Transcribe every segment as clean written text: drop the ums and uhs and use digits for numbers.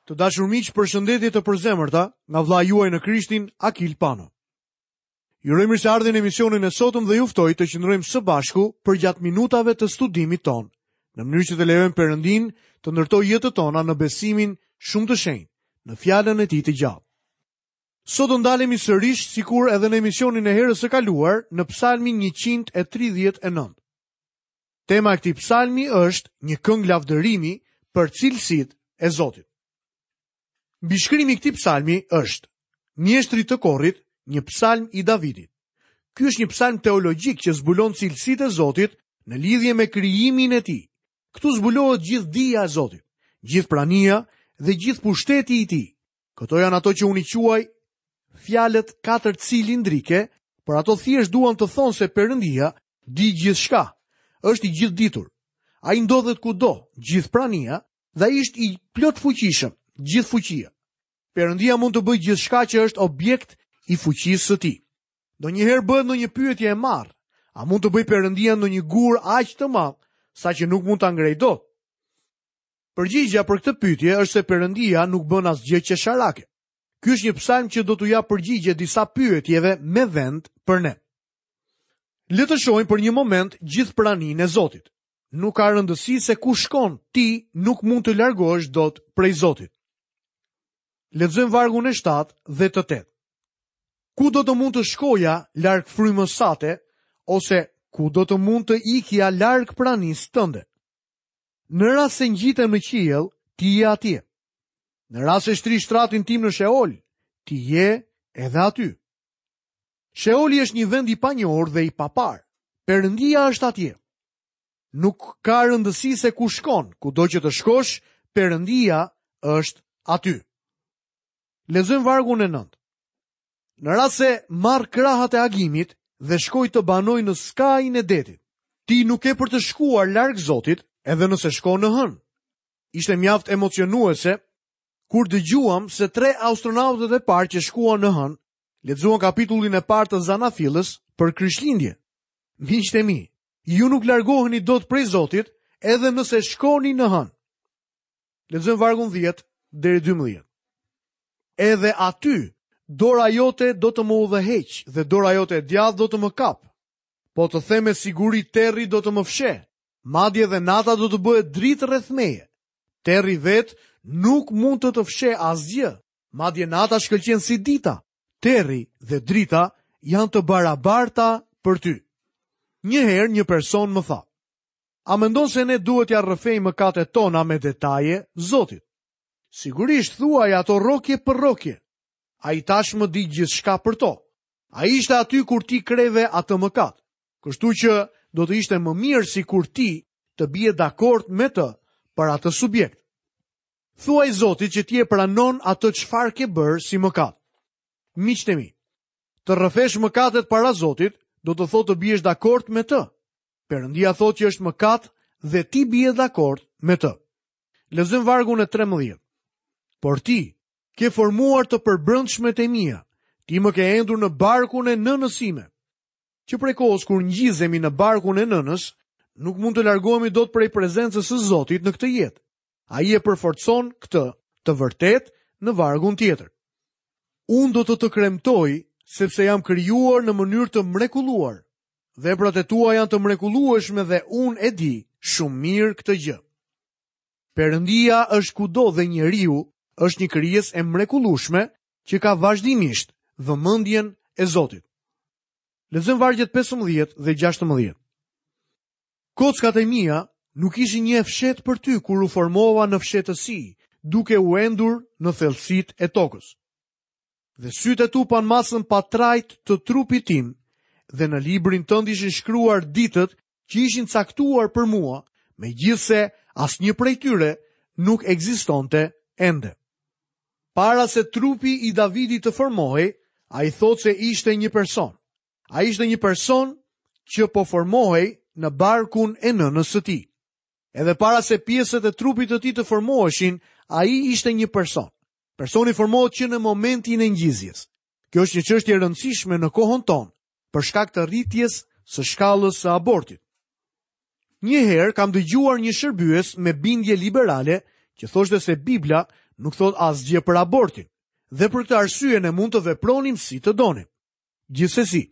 Të dashur miq, përshëndetje të përzemërta nga vëllai juaj në Krishtin, Akil Pano. Ju uroj mirëseardhjen në emisionin e sotëm dhe ju ftoj të qëndrojmë së bashku përgjatë minutave të studimit tonë, në mënyrë që të lejojmë Perëndinë të ndërtojë jetët tona në besimin shumë të shenjtë, në fjalën e tij të gjallë. Sot do ndalemi sërish sikur edhe në emisionin e herës së kaluar në Psalmin 139. Tema e këtij psalmi është një këngë lavdërimi për cilësitë e Zotit. Mbishkrimi i këtij psalmi është Mjeshtrit të korit, një psalm i Davidit. Ky është një psalm teologjik që zbulon cilësitë e Zotit në lidhje me krijimin e tij. Këtu zbulohet gjithë dija e Zotit, gjithë prania dhe gjithë pushteti i tij. Këto janë ato që unë i quaj fjalët katërcilindrike, por ato thjesht duan të thonë se Perëndia di gjithçka, është i gjithëditur. Ai ndodhet kudo, gjithëprania dhe ai është i plotfuqishëm, gjithëfuqia. Perëndia mund të bëjë gjithçka që është objekt i fuqisë së tij. Ndonjëherë bëhet ndonjë pyetje e marrë. A mund të bëjë Perëndia ndonjë gur aq të madh saqë nuk mund ta ngrejë dot? Përgjigja për këtë pyetje është se Perëndia nuk bën asgjë qesharake. Ky është një psalm që do t'u japë përgjigje disa pyetjeve me vend për ne. Le të shohim për një moment gjithëpraninë e Zotit. Nuk ka rëndësi se ku shkon, ti nuk mund të largohesh dot prej Zotit. Lexojmë vargun e 7 dhe të 8. Ku do të mund të shkoja larg frymës sate, ose ku do të mund të ikja larg pranisë tënde? Në rast se ngjitem në qiell, ti je atje. Në rast se shtrij shtratin tim në Sheol, ti je edhe aty. Sheoli është një vend i panjohur dhe i paparë. Perëndia është atje. Nuk ka rëndësi se ku shkon, kudo që të shkosh, Perëndia është aty. Lexojmë vargun e 9. Në rast se marr krahët e agimit dhe shkoj të banoj në skajin e detit, ti nuk ke për të shkuar larg Zotit, edhe nëse shkon në hënë. Ishte mjaft emocionuese kur dëgjuam se tre astronautët e parë që shkuan në hënë, lexuan kapitullin e parë të Zanafillës për Krishtlindje. Miqtë e mi, ju nuk largoheni dot prej Zotit edhe nëse shkoni në hënë. Lexojmë vargun 10 deri 12. Edhe aty dora jote do të më udhëheqë dhe dora jote e djathtë do të më kapë. Po të them me siguri terri do të më fshehë, madje dhe nata do të bëhet dritë rreth meje. Terri vetë nuk mund të të fshehë asgjë, madje nata shkëlqen si dita. Terri dhe drita janë të barabarta për ty. Një herë një person më tha, A mendon se ne duhet t'ia rrëfejmë mëkatet tona me detaje Zotit? Sigurisht thuaji ato rrokje për rrokje. Ai tashmë di gjithçka për to. Ai ishte aty kur ti kreve atë mëkat. Kështu që do të ishte më mirë sikur ti të bie dakord me të për atë subjekt. Thuaj Zotit që ti e pranon atë çfarë ke bërë si mëkat. Miqtë e mi, të rrëfesh mëkatet para Zotit do të thotë të biesh dakord me të. Perëndia thotë që është mëkat dhe ti bie dakord me të. Lexojmë vargun e 13. Por ti ke formuar të përbrendshmet e mia, ti më ke endur në barkun e nënës sime. Që prej kohës kur ngjizemi në barkun e nënës, nuk mund të largohemi dot prej prezencës së Zotit në këtë jetë. Ai e përforcon këtë të vërtetë në vargun tjetër. Unë do të të kremtoj, sepse jam krijuar në mënyrë të mrekulluar. Veprat e tua janë të mrekullueshme dhe unë e di shumë mirë këtë gjë. Perëndia është kudo dhe njeriu është një krijesë e mrekullueshme që ka vazhdimisht vëmendjen e Zotit. Lexojmë vargjet 15 dhe 16. Kockat e mia nuk ishin një e fshehtë për ty kur u formova në fshehtësi, duke u endur në thellësitë e tokës. Dhe sytë e tu panë masën pa trajtë të trupit tim, dhe në librin tënd ishin shkruar ditët që ishin caktuar për mua, megjithëse asnjë prej tyre nuk ekzistonte ende. Para se trupi i Davidit të formohej, ai thotë se ishte një person. Ai ishte një person që po formohej në barkun e nënës së tij. Edhe para se pjesët e trupit të tij të formoheshin, ai ishte një person. Personi formohet që në momentin e ngjizjes. Kjo është një çështje e rëndësishme në kohën tonë, për shkak të rritjes së shkallës së abortit. Një herë kam dëgjuar një shërbyes me bindje liberale që thoshte se Bibla nuk thotë asgjë për abortin dhe për këtë arsye ne mund të vepronim si të donim. Gjithsesi,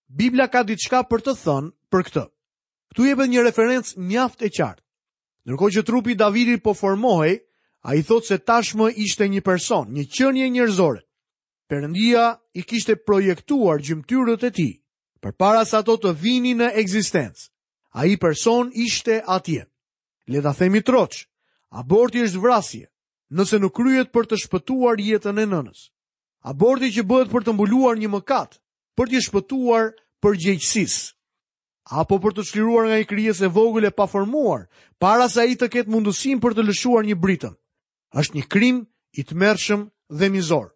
Bibla ka diçka për të thënë për këtë. Këtu jepet një referencë mjaft e qartë. Ndërkohë që trupi i Davidit po formohej, ai thotë se tashmë ishte një person, një qenie njerëzore. Perëndia i kishte projektuar gjymtyrët e tij përpara se ato të vinin në ekzistencë. Ai person ishte atje. Le ta themi troç, aborti është vrasje, nëse nuk kryhet për të shpëtuar jetën e nënës. Aborti që bëhet për të mbuluar një mëkat, për t'i shpëtuar përgjegjësisë, apo për t'u çliruar nga një krijesë e vogël e paformuar, para se ai të ketë mundësinë për të lëshuar një britëm. Është një krim i tmerrshëm dhe mizor.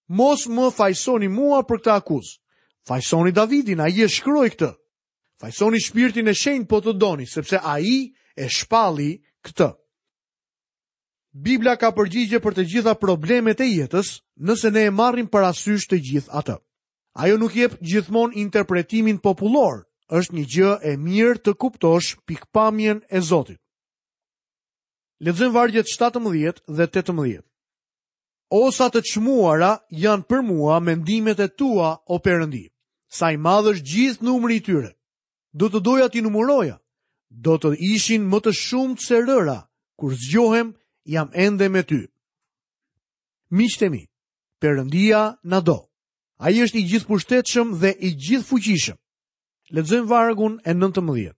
Mos më fajësoni mua për këtë akuzë. Fajësoni Davidin, ai e shkroi këtë. Fajësoni shpirtin e shenjtë po të doni, sepse ai e shpalli këtë. Bibla ka përgjigje për të gjitha problemet e jetës, nëse ne e marrim parasysh të gjithë atë. Ajo nuk jep gjithmonë interpretimin popullor, është një gjë e mirë të kuptosh pikëpamjen e Zotit. Lexojmë vargjet 17 dhe 18. O sa të çmuara janë për mua mendimet e tua, o Perëndi. Sa i madh është gjithë numri i tyre. Do të doja t'i numëroja. Do të ishin më të shumtë se rëra. Kur zgjohem, jam ende me ty. Miqtë e mi, Perëndia na do. Ai është i gjithëpushtetshëm dhe i gjithëfuqishëm. Lexojmë vargun e 19.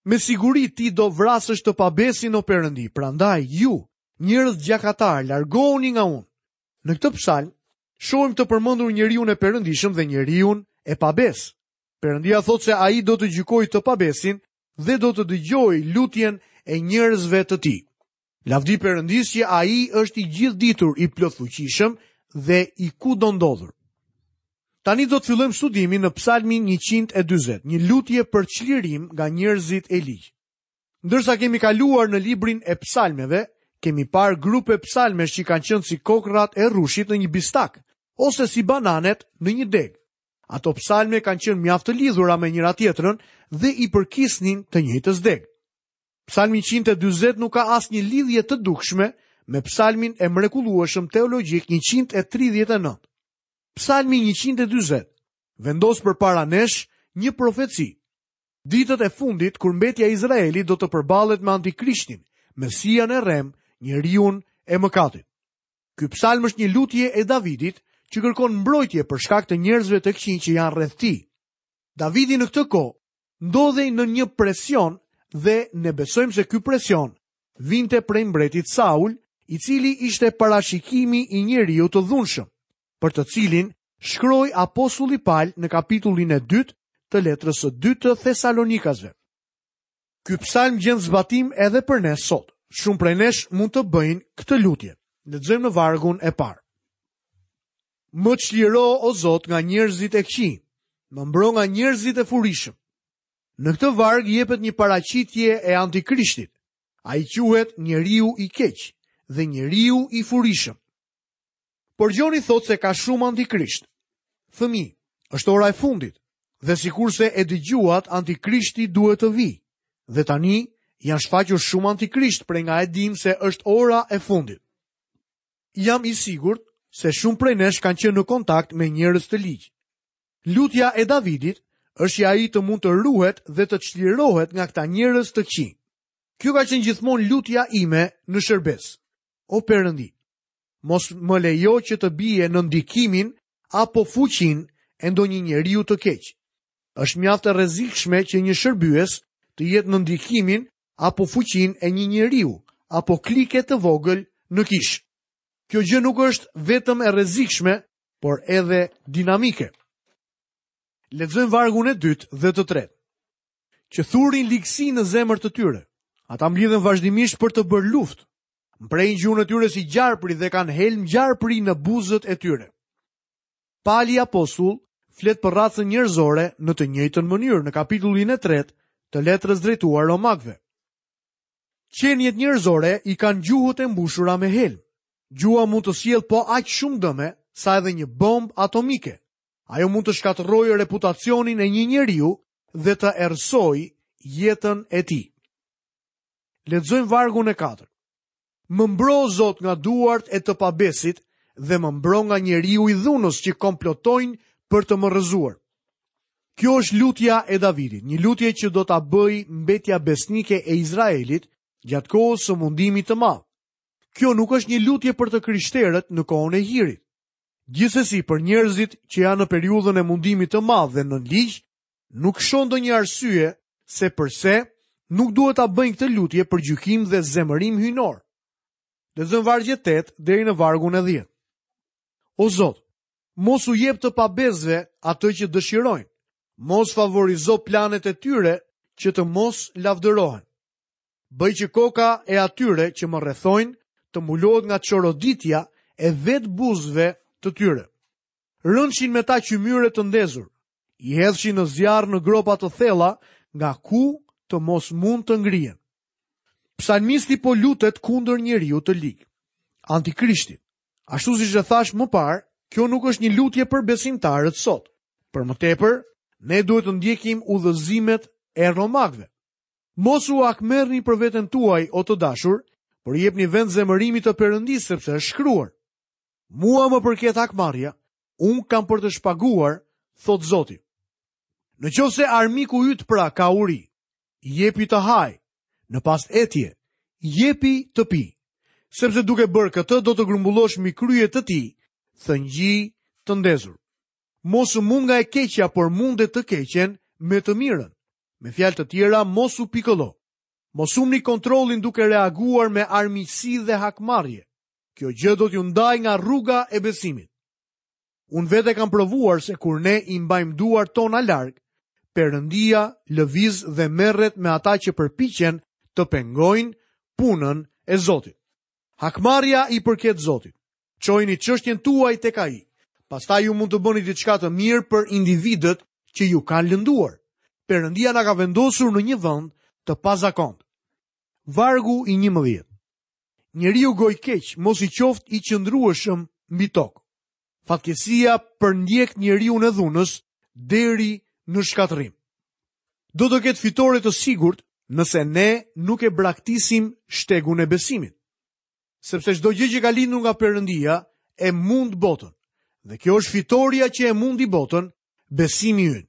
Me siguri ti do vrasësh të pabesin o Perëndi, prandaj ju, njerëz gjakatarë, largohuni nga unë. Në këtë psalm shohim të përmendur njeriun e perëndishëm dhe njeriun e pabesë. Perëndia thotë se ai do të gjykojë të pabesin dhe do të dëgjojë lutjen e njerëzve të tij. Lavdi Perëndisë që ai është i gjithëditur, i plotfuqishëm dhe i kudondodhur. Tani do të fillojmë studimin në Psalmin 140, një lutje për çlirim nga njerëzit e ligj. Ndërsa kemi kaluar në librin e psalmeve, kemi parë grupe psalmesh që kanë qenë si kokrrat e rrushit në një bistak, ose si bananet në një degë. Ato psalme kanë qenë mjaft të lidhura me njëra-tjetrën dhe i përkisnin të njëjtës degë. Psalmi 140 nuk ka asnjë lidhje të dukshme me psalmin e mrekullueshëm teologjik 139. Psalmi 140 vendos përpara nesh një profeci. Ditët e fundit kur mbetja e Izraelit do të përballet me antikrishtin, Mesian e rremë, njeriun e mëkatit. Ky psalm është një lutje e Davidit që kërkon mbrojtje për shkak të njerëzve të këqinj që janë rreth tij. Davidi në këtë kohë ndodhej nën një presion dhe ne besojmë se ky presion vinte prej mbretit Saul, i cili ishte parashikimi i njeriut të dhunshëm, për të cilin shkroi apostulli Pal në kapitullin e dytë të letrës së dytë të Thesalonikasve. Ky psalm gjen zbatim edhe për ne sot. Shumë prej nesh mund të bëjnë këtë lutje. Lexojmë në vargun e parë. Më çliro o Zot nga njerëzit e këqij, më mbro nga njerëzit e furishëm. Në këtë varg jepet një paraqitje e antikrishtit. Ai quhet njeriu i keq dhe njeriu i furishëm. Por Gjoni thotë se ka shumë antikrisht. Fëmijë, është ora e fundit dhe sikurse e dëgjuat, antikrishti duhet të vijë. Dhe tani janë shfaqur shumë antikrisht prej nga e dimë se është ora e fundit. Jam i sigurt se shumë prej nesh kanë qenë në kontakt me njerëz të ligj. Lutja e Davidit është që ai të mund të ruhet dhe të çlirohet nga këta njerëz të këqij. Kjo ka qenë gjithmonë lutja ime në shërbesë. O Perëndi, mos më lejo që të bie në ndikimin apo fuqinë e ndonjë njeriu të keq. Është mjaft e rrezikshme që një shërbyes të jetë në ndikimin apo fuqinë e një njeriu apo klike të vogël në kishë. Kjo gjë nuk është vetëm e rrezikshme, por edhe dinamike. Lexojmë vargun e dytë dhe të tretë. Që thurin ligësi në zemër të tyre. Ata mblidhen vazhdimisht për të bërë luftë. Mprehin gjuhën e tyre si gjarpri dhe kanë helm gjarpri në buzët e tyre. Pali apostull flet për racën njerëzore në të njëjtën mënyrë në kapitullin e tretë të letrës drejtuar Romakëve. Qeniet njerëzore i kanë gjuhët e mbushura me helm. Gjuha mund të sjellë po aq shumë dëme sa edhe një bombë atomike. Ajo mund të shkatërrojë reputacionin e një njeriu dhe të errësojë jetën e tij. Lexojmë vargun e katërt. Më mbro Zot nga duart e të pabesit dhe më mbro nga njeriu i dhunës që komplotojnë për të më rrëzuar. Kjo është lutja e Davidit, një lutje që do ta bëjë mbetja besnike e Izraelit gjatë kohës së mundimit të madh. Kjo nuk është një lutje për të krishterët në kohën e hirit. Gjithsesi, për njerëzit që janë në periudhën e mundimit të madh dhe nën ligj, nuk shoh ndonjë arsye se përse nuk duhet ta bëjnë këtë lutje për gjykim dhe zemërim hyjnor. Lexojmë vargjet 8 deri në vargun e 10. O Zot, mos u jep të pabesëve atë që dëshirojnë. Mos favorizo planet e tyre që të mos lavdërohen. Bëj që koka e atyre që më rrethojnë të mbulohet nga çoroditja e vetë buzëve të tyre. Rënçin me ta qymyre të ndezur, i hedhshin në zjarr në gropa të thella nga ku të mos mund të ngrihen. Psalmisti po lutet kundër njeriut të lig, antikrishtit. Ashtu siç e thashë më parë, kjo nuk është një lutje për besimtarët sot. Për më tepër, ne duhet të ndjekim udhëzimet e romakëve. Mos u hakmerrni për veten tuaj, o të dashur, por jepni vend zemërimit të Perëndisë, sepse është shkruar. Mua më përket hakmarrja, unë kam për të shpaguar, thotë Zoti. Në qoftë se armiku yt pra ka uri, jepi të hajë, në pastë etje, jepi të pijë. Sepse duke bërë këtë do të grumbullosh mbi krye të tij, thëngjij të ndezur. Mos u mund nga e keqja, por munde të keqen me të mirën. Me fjalë të tjera, mos u pikëllo. Mos humbni kontrollin duke reaguar me armiqësi dhe hakmarrje. Kjo gjë do t'ju ndajë nga rruga e besimit. Unë vetë e kam provuar se kur ne i mbajmë duart tona larg, Perëndia lëviz dhe merret me ata që përpiqen të pengojnë punën e Zotit. Hakmarrja i përket Zotit. Çojeni çështjen tuaj tek ai. Pastaj ju mund të bëni diçka të mirë për individët që ju kanë lënduar. Perëndia na ka vendosur në një vend të pazakontë. Vargu i 11. Njeriu gojëkeq mos i qoftë i qëndrueshëm mbi tokë. Fatkeqësia përndjek njeriun e dhunës deri në shkatërrim. Do të ketë fitore të sigurt nëse ne nuk e braktisim shtegun e besimit. Sepse çdo gjë që ka lindur nga Perëndia e mund botën. Dhe kjo është fitorja që e mundi botën, besimi ynë.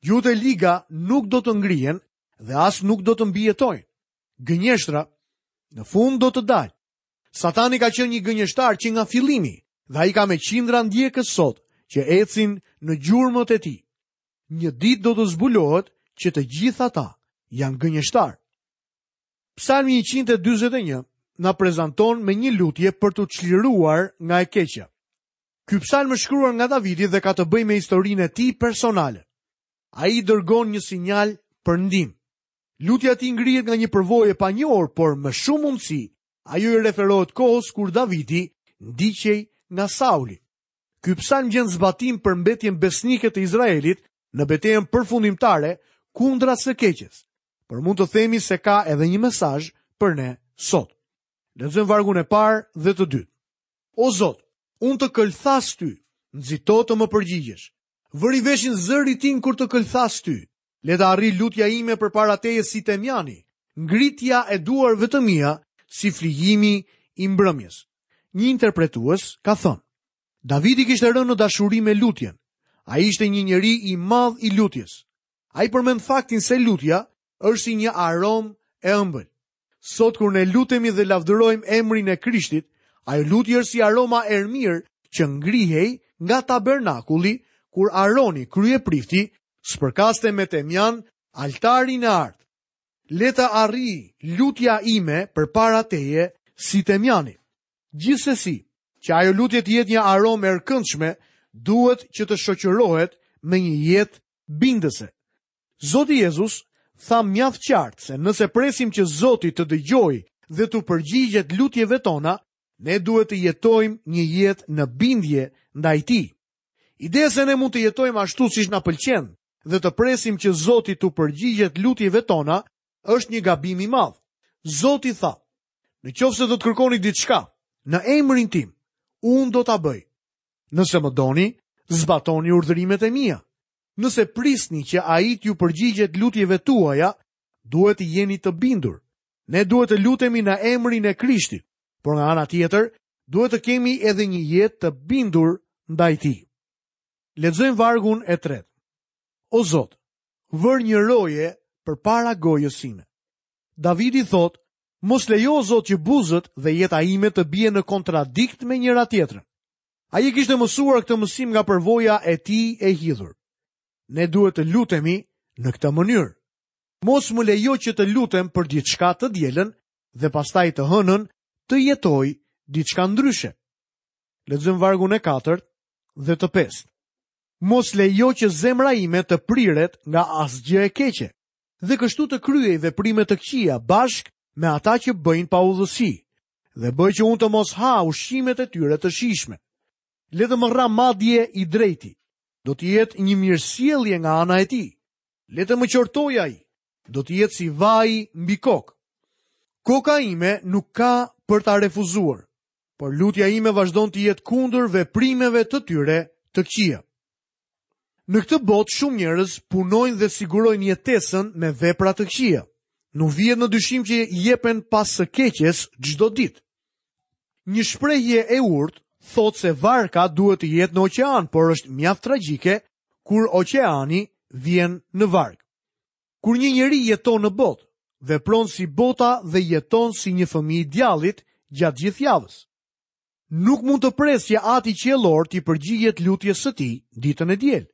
Gjuhët e liga nuk do të ngrihen dhe as nuk do të mbijetojnë. Gënjeshtra në fund do të dalë. Satani ka qenë një gënjeshtar që nga fillimi dhe ai ka me qindra ndjekës sot që ecin në gjurmët e tij. Një ditë do të zbulohet që të gjithë ata janë gënjeshtarë. Psalmi 141 na prezanton me një lutje për t'u çliruar nga e keqja. Ky psalm është shkruar nga Davidi dhe ka të bëjë me historinë e tij personale. Ai dërgon një sinjal për ndihmë. Lutja e tij ngrihet nga një përvojë e panjohur, por me shumë mundësi ajo i referohet kohës kur Davidi ndiqej nga Sauli. Ky psalm gjen zbatim për mbetjen besnike të Izraelit në betejën përfundimtare kundra së keqes. Por mund të themi se ka edhe një mesazh për ne sot. Lexojmë vargun e parë dhe të dytë. O Zot, unë të këlthas ty, nxito të më përgjigjesh. Vëri veshin zërit tim kur të këlthas ty. Le të arrijë lutja ime përpara teje si temjani, ngritja e duarve të mia si flijimi i mbrëmjes. Një interpretues ka thënë, Davidi kishte rënë në dashuri me lutjen. Ai ishte një njeri i madh i lutjes. Ai përmend faktin se lutja është si një aromë e ëmbël. Sot kur ne lutemi dhe lavdërojmë emrin e Krishtit, ajo lutje është si aroma erëmirë që ngrihej nga tabernakulli kur Aroni, kryeprifti, spërkaste me temjan altarin e artë. Le të arrijë lutja ime përpara teje si temjani. Gjithsesi, që ajo lutje të jetë një aromë e këndshme, duhet që të shoqërohet me një jetë bindëse. Zoti Jezus tha mjaft qartë se nëse presim që Zoti të dëgjojë dhe t'u përgjigjet lutjeve tona, ne duhet të jetojmë një jetë në bindje ndaj tij. Ideja se ne mund të jetojmë ashtu siç na pëlqen dhe të presim që Zoti t'u përgjigjet lutjeve tona është një gabim i madh. Zoti tha, në qoftë se do të kërkoni diçka në emrin tim, unë do ta bëj. Nëse më doni, zbatoni urdhërimet e mia. Nëse prisni që ai t'ju përgjigjet lutjeve tuaja, duhet të jeni të bindur. Ne duhet të lutemi në emrin e Krishtit. Por nga ana tjetër, duhet të kemi edhe një jetë të bindur ndaj tij. Lexojmë vargun e tretë. O Zot, vër një roje përpara gojës sime. Davidi thotë, mos lejo o Zot që buzët dhe jeta ime të bien në kontradikt me njëra-tjetrën. Ai e kishte mësuar këtë mësim nga përvoja e tij e hidhur. Ne duhet të lutemi në këtë mënyrë. Mos më lejo që të lutem për diçka të dielën dhe pastaj të hënën të jetoj diçka ndryshe. Lexojmë vargun e katërt dhe të pestë. Mos lejo që zemra ime të priret nga asgjë e keqe dhe kështu të kryej veprime të këqija bashkë me ata që bëjnë paudhësi dhe bëj që unë të mos ha ushqimet e tyre të shijshme. Le të më rrahë madje i drejti. Do të jetë një mirësjellje nga ana e tij. Le të më qortojë ai. Do të jetë si vaji mbi kokë. Koka ime nuk ka për ta refuzuar, por lutja ime vazhdon të jetë kundër veprimeve të tyre të këqija. Në këtë botë shumë njerëz punojnë dhe sigurojnë jetesën me vepra të këqija. Nuk vihet në dyshim që jepen pas së keqes çdo ditë. Një shprehje e urtë thotë se varka duhet të jetë në oqean, por është mjaft tragjike kur oqeani vjen në varkë. Kur një njeri jeton në botë, vepron si bota dhe jeton si një fëmijë i djallit gjatë gjithë javës. Nuk mund të presë që Ati Qiellor t'i përgjigjet lutjes së tij ditën e diel.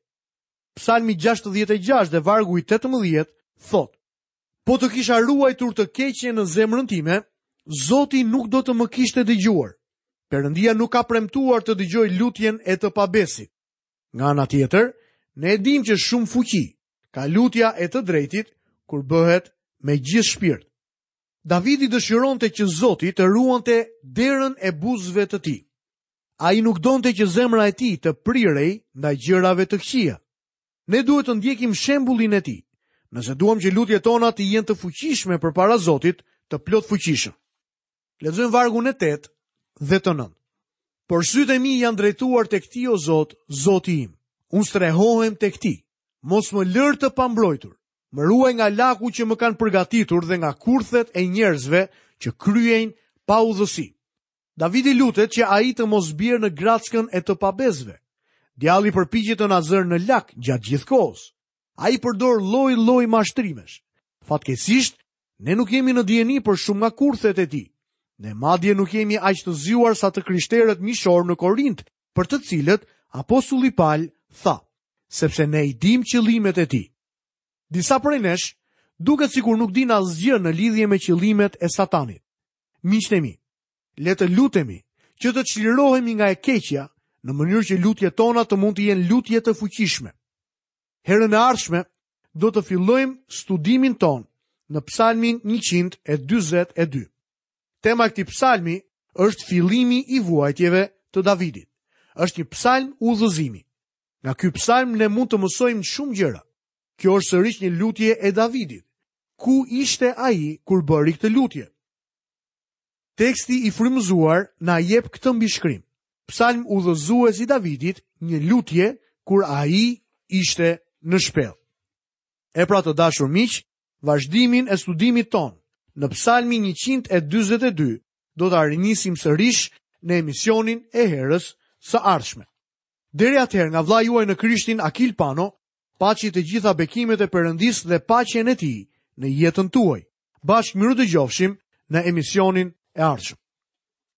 Psalmi 66 dhe vargu i 18 thotë: Po të kisha ruajtur të keqen në zemrën time, Zoti nuk do të më kishte dëgjuar. Perëndia nuk ka premtuar të dëgjojë lutjen e të pabesit. Nga ana tjetër, ne e dimë që shumë fuqi ka lutja e të drejtit kur bëhet me gjithë shpirt. Davidi dëshironte që Zoti të ruante derën e buzëve të tij. Ai nuk donte që zemra e tij të prirej ndaj gjërave të këqija. Ne duhet të ndjekim shembullin e tij, nëse duam që lutjet tona të jenë të fuqishme përpara Zotit, të plotfuqishëm. Lexojmë vargun e 8 dhe të 9. Por sytë e mi janë drejtuar tek ti o Zot, Zoti im. Unë strehohem tek ti. Mos më lër të pambrojtur. Më ruaj nga laku që më kanë përgatitur dhe nga kurthet e njerëzve që kryejnë paudhësi. Davidi lutet që ai të mos bjerë në grackën e të pabesëve. Djalli përpiqet të na zërë në lak gjatë gjithë kohës. Ai përdor lloj-lloj mashtrimesh. Fatkeqësisht, ne nuk jemi në dijeni për shumë nga kurthet e tij. Ne madje nuk jemi aq të zgjuar sa të krishterët mishorë në Korint, për të cilët apostulli Pal tha, sepse ne i dimë qëllimet e tij. Disa prej nesh duket sikur nuk dinë asgjë në lidhje me qëllimet e Satanit. Miqtë e mi, le të lutemi që të çlirohemi nga e keqja në mënyrë që lutjet tona të mund të jenë lutje të fuqishme. Herën e ardhshme do të fillojmë studimin tonë në Psalmin 142. Tema e këtij psalmi është fillimi i vuajtjeve të Davidit. Është një psalm udhëzimi. Nga ky psalm ne mund të mësojmë shumë gjëra. Kjo është sërish një lutje e Davidit. Ku ishte ai kur bëri këtë lutje? Teksti i frymëzuar na jep këtë mbishkrim. Psalm udhëzues i Davidit, një lutje kur ai ishte në shpellë. E pra të dashur miq, vazhdimin e studimit tonë në Psalmin 142 do ta rinisim sërish në emisionin e herës së ardhshme. Deri atëherë nga vëllai juaj në Krishtin Akil Pano, paçi të gjitha bekimet e Perëndisë dhe paqen e tij në jetën tuaj. Bashkë mirudëgjofshim në emisionin e ardhshëm.